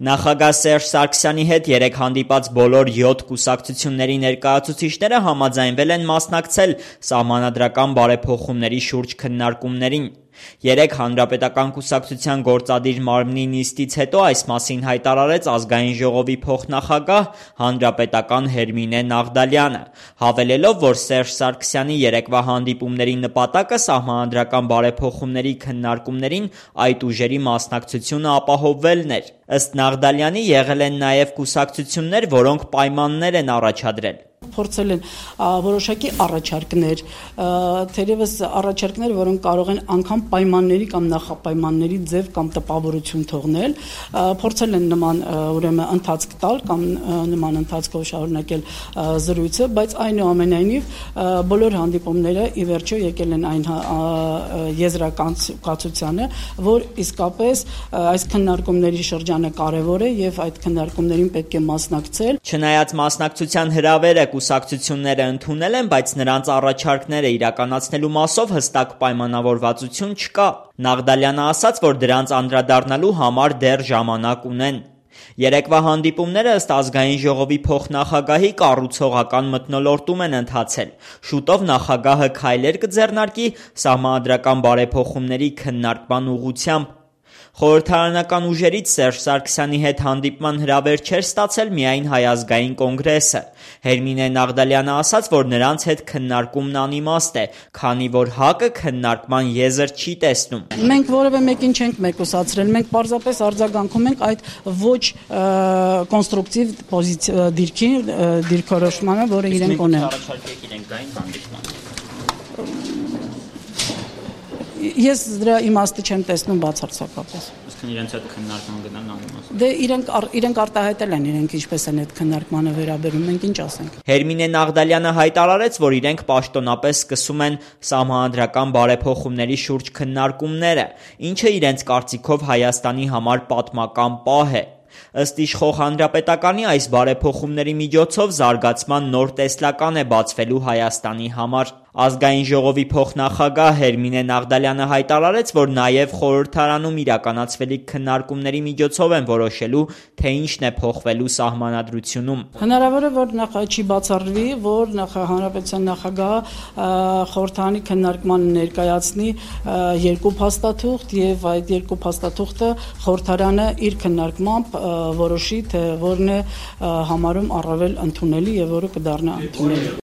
Նախագահ Սերժ Սարգսյանի հետ երեկ հանդիպած բոլոր 7 կուսակցությունների ներկայացուցիչները համաձայնվել են մասնակցել սահմանադրական բարեփոխումների շուրջ քննարկումներին։ Երեկ Հանրապետական կուսակցության գործադիր մարմնի նիստից հետո այս մասին հայտարարեց Ազգային ժողովի փոխնախագահ հանրապետական Հերմինե Նաղդալյանը, հավելելով, որ Սերժ Սարգսյանի երեկվա հանդիպումների նպատակը սահմանադրական բարեփոխումների քննարկումներին այդ ուժերի մասնակցությունը ապահովելն էր։ Ըստ Նաղդալյանի եղել են նաև կուսակցություններ, որոնք պայմաններ են առաջադրել։ Փորձել են որոշակի առաջարկներ, թերևս առաջարկներ, որոնք կարող են անգամ պայմանների կամ նախապայմանների ձև կամ տպավորություն թողնել, փորձել են նման ուրեմն ընթացք տալ կամ նման ընթացքով շարունակել զրույցը, բայց այնուամենայնիվ բոլոր հանդիպումները ի վերջո եկել են այն եզրակացությանը, որ իսկապես այս քննարկումների շրջանը կարևոր է եւ այդ քննարկումներին պետք է մասնակցել։ Չնայած մասնակցության հրավերը կուսակցությունները ընդունել են, բայց նրանց առաջարկները իրականացնելու մասով հստակ պայմանավորվածություն չկա։ Նաղդալյանը ասաց, որ դրանց անդրադառնալու համար դեռ ժամանակ ունեն։ Երեկվա հանդիպումները ըստ Ազգային ժողովի փոխնախագահի կառուցողական մթնոլորտում են ընթացել։ Շուտով նախագահը քայլեր կձեռնարկի սահմանադրական բարեփոխումների քննարկման ուղղությամբ։ Խորհրդարանական ուժերից Սերժ Սարգսյանի հետ հանդիպման հրավեր չէր ստացել միայն Հայ ազգային կոնգրեսը։ Հերմինե Նաղդալյանը ասաց, որ նրանց հետ քննարկումն անիմաստ է, քանի որ ՀԱԿ-ը քննարկման եզր չի տեսնում։ Մենք որևէ մեկին չենք մեկուսացրել, մենք պարզապես արձագանքում ենք այդ ոչ կոնստրուկտիվ դիրքորոշմանը, որը իրենք ունեն։ Ես դրա իմաստը չեմ տեսնում բացարձակապես։ Իսկ իրենց հետ քննարկման գնան անիմաստ։ Դե իրենք արտահայտել են իրենք ինչպես են այդ քննարկմանը վերաբերում, մենք ինչ ասենք։ Հերմինե Նաղդալյանը հայտարարեց, որ իրենք պաշտոնապես սկսում են սահմանադրական բարեփոխումների շուրջ քննարկումները, ինչը իրենց կարծիքով Հայաստանի համար պատմական պահ է։ Ըստ իշխող հանրապետականի այս բարեփոխումների միջոցով զարգացման նոր տեսլական է բացվելու Հայաստանի համար։ Ազգային ժողովի փոխնախագահ Հերմինե Նաղդալյանը հայտարարեց, որ նաև խորհրդարանում իրականացվելիք քննարկումների միջոցով են որոշելու, թե ինչն է փոխվելու սահմանադրությունում։ Հնարավոր է, որ չի բացառվի, որ հանրապետության նախագահը խորհրդարանի քննարկման ներկայացնի երկու փաստաթուղթ եւ այդ երկու փաստաթուղթը խորհրդարանը իր քննարկմամբ որոշի, թե որն է համարում առավել ընդունելի եւ որը կդառնա ընդունելի։